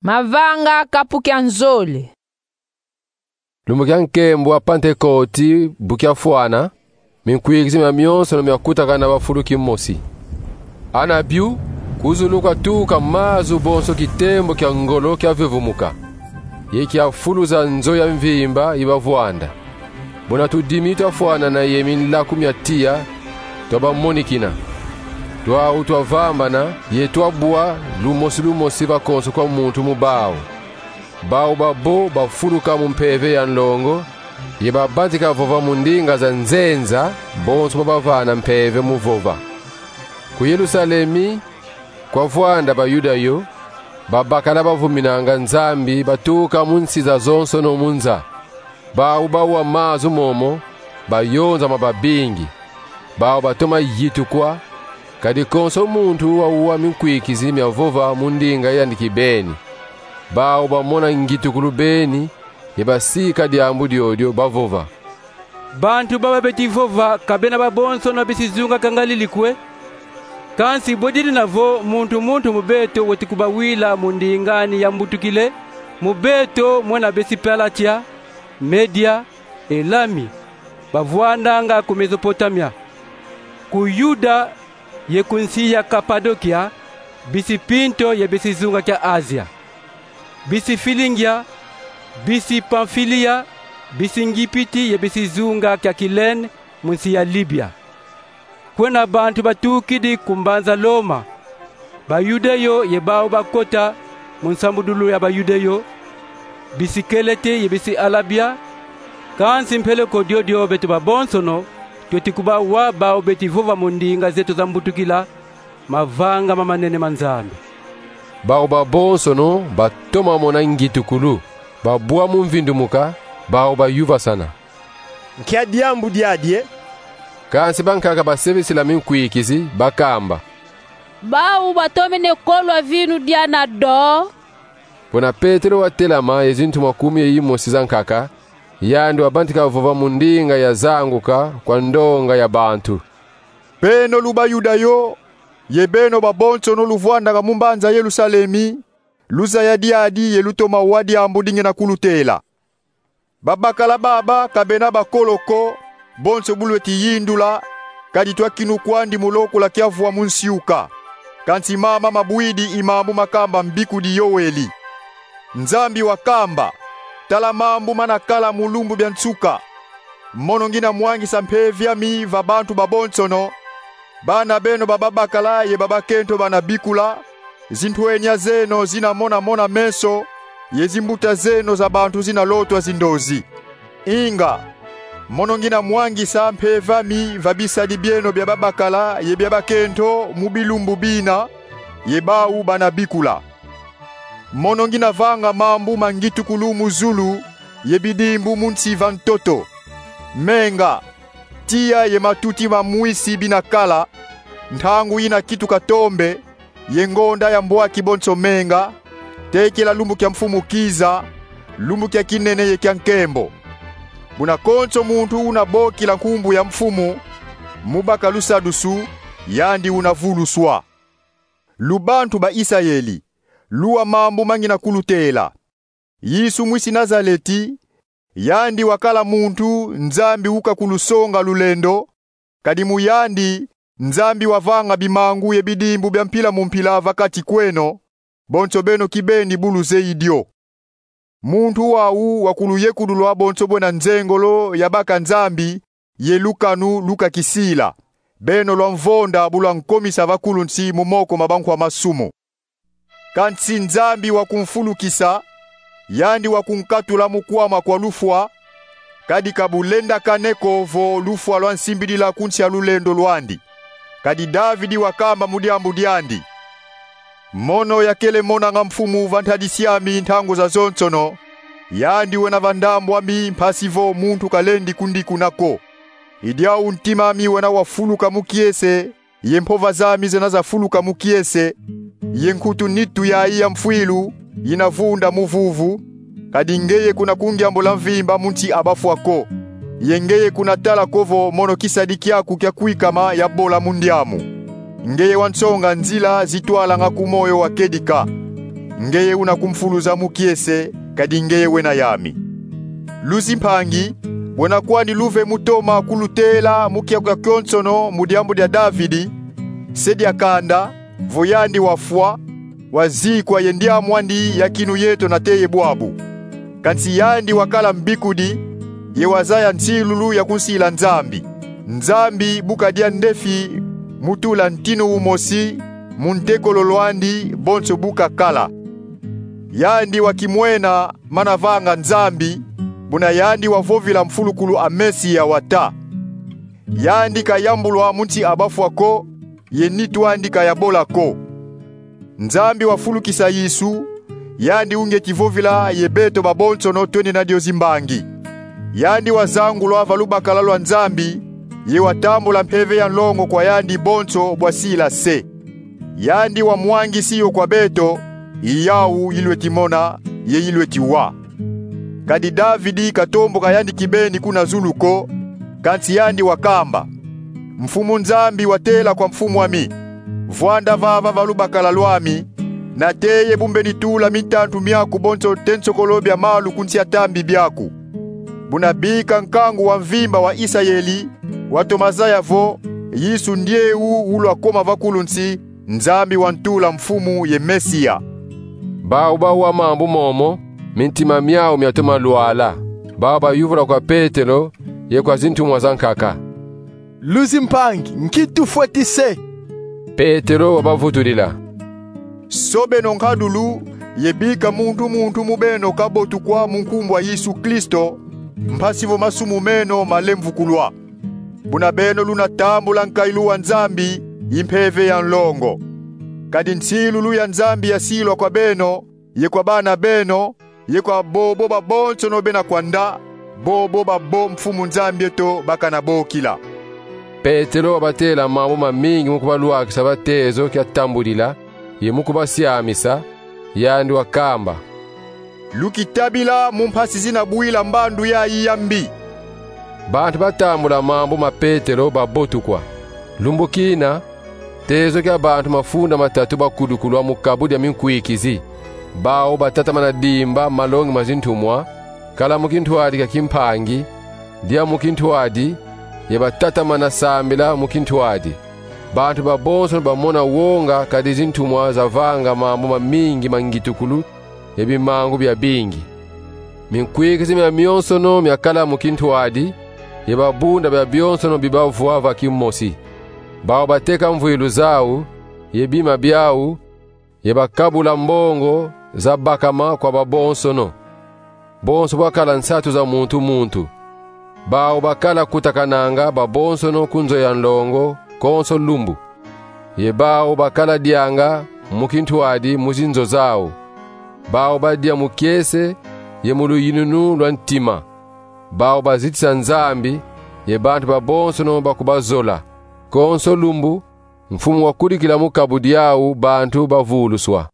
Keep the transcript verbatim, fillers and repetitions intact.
Mavanga kapu kia nzole. Lumbu kia nkembo wa Pantekoti bu kiafwana, minkwikizi miamionsono miakutakana va fulu kimosi. Ana bio, ku zulu kwatuka mazu bonso kitembo kia ngolo kiavevumuka, ye kiafuluza nzo ya mvimba yi bavwanda. Buna tudimi twafwanana ye minlaku mia tiya twabamonikina. Twau twavambana ye twabwa lumosi lumosi va konso kwa muntu mu bau. Bau babo bafuluka mu mpeve ya nlongo, ye babantika vova mu ndinga za nzenza, bonso babavana mpeve mu vova. Ku Yerusalemi, kwavwanda Bayuda yo, babakala bavuminanga Nzambi batuka mu nsi zazonsono mu nza. Bau bawa mazu momo, bayonzama babingi. Bau batoma yitukwa, kadi konso muntu wawa minkwikizi mia vova mu ndinga yandi kibeni. Bau bamona ngitukulu beni, ye basika diambu diodio bavova: Bantu baba beti vova ka bena babonsono besi zunga kia Ngalili kwe? Kansi bwe dina vo muntu muntu mu beto weti kubawila mu ndinga ani ya mbutukile, mu beto mwena besi Palatia, Media, Elami, bavwandanga ku Mesopotamia, ku Yuda ye ku nsi ya Kapadokia, bisi Pinto ye bisi zunga kia Azia, bisi Filingia, bisi Pamfilia, bisi Ngipiti ye bisi zunga kia Kilene mu nsi ya Libia. Kwena bantu batukidi ku mbanza Loma, Bayuda yo ye bau bakota mu nsambudulu ya Bayuda yo, bisi Kelete ye bisi Alabia, kansi mpeleko diodio beto babonsono tweti kubawa bau beti vova mu ndinga zeto za mbutukila mavanga mamanene ma Nzambi. Bau babonsono batoma mona ngitukulu, babwa mu mvindumuka, bau bayuvasana: Nkia diambu diadi e? Kansi bankaka basebesila minkwikizi, bakamba: Bau batomene kolwa vinu diana do. Buna Petelo watelama ye zintu makumi ye yimosi zankaka, yandi wabantika vova mu ndinga yazanguka kwa ndonga ya bantu: Beno lu Bayuda yo, ye beno babonsono luvwandanga mu mbanza Yerusalemi, luzaya diadi ye lutoma wa diambu di ngina kulutela. Babakala baba ka bena bakolo ko, bonso bu lweti yindula, kadi twakinukwandi mu lokula kiavwa mu nsiuka. Kansi mama mabwidi i mambu makamba mbikudi Yoeli. Nzambi wakamba: Tala mambu mana kala mu lumbu bia nsuka. Mono ngina mwangisa mpeve yami va bantu babonsono. Bana beno ba babakala ye ba bakento bana bikula, zintwenya zeno zina mona mona meso, ye zimbuta zeno za bantu zina lotwa zindozi. Inga, mono ngina mwangisa mpeve yami va bisadi bieno bia babakala ye bia bakento mu bilumbu bina, ye bau bana bikula. Mono ngina vanga mambu ma ngitukulu mu zulu, ye bidimbu mu nsi va ntoto. Menga, tiya ye matuti ma mwisi bina kala, ntangu yina kituka tombe, ye ngonda ya mbwaki bonso menga, tekila lumbu kia Mfumu kiza, lumbu kia kinene ye kia nkembo. Buna konso muntu una bokila nkumbu ya Mfumu, mu baka lusadusu, yandi una vuluswa. Lu bantu ba Isayeli, luwa mambu ma ngina kulutela. Yesu mwisi Nazaleti, yandi wakala muntu Nzambi uka kulusonga lulendo, kadi mu yandi Nzambi wavanga bimangu ye bidimbu bia mpila mu mpila va kati kweno, bonso beno kibeni bu luzeyi dio. Muntu wau wakuluyekululwa bonso bwena nzengolo ya baka Nzambi ye lukanu lu kakisila, beno lwamvonda bu lwankomisa va kulu nsi mu moko ma bankwa masumu. Kansi Nzambi wakumfulukisa, yandi wakunkatula mu kwama kwa lufwa, kadi ka bulendakane ko vo lufwa lwansimbidila ku nsi a lulendo lwandi. Kadi Davidi wakamba mu diambu diandi: Mono yakele monanga Mfumu va ntadisi ami ntangu zazonsono, yandi wena va ndambu ami mpasi vo muntu kalendi kundikuna ko. I diau ntima ami wena wafuluka mu kiese, ye mpova zami zena zafuluka mu kiese, ye nkutu nitu yayi ya mfwilu yina vunda mu vuvu, kadi ngeye kuna ku ngyambula mvimba mu nsi a bafwa ko, ye ngeye kuna tala ko vo mono kisadi kiaku kia kwikama yabola mu ndiamu. Ngeye wansonga nzila zitwalanga ku moyo wa kedika. ngeye una kumfuluza mu kiese, kadi ngeye wena yami. Luzi mpangi, bwena kwandi luve mu toma kulutela mu kiaku kia kionsono mu diambu dia Davidi, se dia kanda, vo yandi wafwa, wazikwa ye ndiamwandi ya kinu yeto nate ye bwabu. Kansi yandi wakala mbikudi, ye wazaya nsilulu ya kunsila Nzambi. Nzambi bu kadia ndefi mu tula ntinu umosi mu ntekolo lwandi bonso bu kakala. Yandi wakimwena mana vanga Nzambi, buna yandi wavovila mfulukulu a Mesia wata: Yandi kayambulwa mu nsi a bafwa ko, ye nitu andi kayabola ko. Nzambi wafulukisa Yesu, yandi unge kivovila ye beto babonsono twena dio zimbangi. Yandi wazangulwa va lubakala lwa Nzambi, ye watambula mpeve ya nlongo kwa yandi bonso bwa sila se. Yandi wamwangisi yo kwa beto, i yawu ilweti mona, ye ilweti wa. Kadi Davidi katomboka yandi kibeni kuna zulu ko, kansi yandi wakamba: Mfumu Nzambi watela kwa mfumu ami: Vwanda vava va lubakala lwami, nate ye bu mbeni tula mintantu miaku bonso te nsokolo bia malu ku nsi a tambi biaku. Buna bika nkangu wa mvimba wa Isayeli watoma zaya vo Yesu ndieu ulwakoma va kulu nsi, Nzambi wantula Mfumu ye Mesia. Bawu bawa mambu momo, mintima miawu miatoma lwala. Bawu bayuvula kwa Petelo ye kwa zintumwa zankaka: Luzi mpangi, nki tufweti se? Petelo wabavutudila: Sobeno nkadulu, ye bika muntu muntu mu beno kabotukwa mu nkumbu a Yesu Kristo, mpasi vo masumu meno malemvukulwa. Buna beno luna tambula nkailu wa Nzambi i mpeve ya nlongo. Kadi nsilulu ya Nzambi yasilwa kwa beno, ye kwa bana beno, ye kwa bobo babonsono bena kwanda, bobo babo Mfumu Nzambi eto bakana bokila. Petelo wabatela mambu mamingi mu kubalwakisa va tezo kia tambudila, ye mu kubasiamisa, yandi wakamba: Lukitabila mu mpasi zina bwila mbandu yayi ya mbi. Bantu batambula mambu ma Petelo babotukwa. Lumbu kina, tezo kia bantu mafunda matatu bakudukulwa mu kabu dia minkwikizi. Bawu batatamana dimba malongi ma zintumwa, kala mu kintwadi kia kimpangi, dia mu kintwadi, ye batatamana sambila mu kintwadi. Bantu babonsono bamona wonga kadi zintumwa zavanga mambu mamingi ma ngitukulu ye bimangu biabingi. Minkwikizi miamionsono miakala mu kintwadi, ye babunda biabionsono bibavwa va kimosi. Bawu bateka mvwilu zawu, ye bima biawu, ye bakabula mbongo zabakama kwa babonsono. Bonso bwakala nsatu za muntu muntu. Bawu bakala kutakananga babonsono ku nzo ya nlongo konso lumbu. Ye bawu bakala dianga mu kintwadi mu zinzo zawu. Bawu badia mu kiese ye mu luyinunu lwa ntima. Bawu bazitisa Nzambi, ye bantu babonsono bakubazola. Konso lumbu, Mfumu wakudikila mu kabu diawu bantu bavuluswa.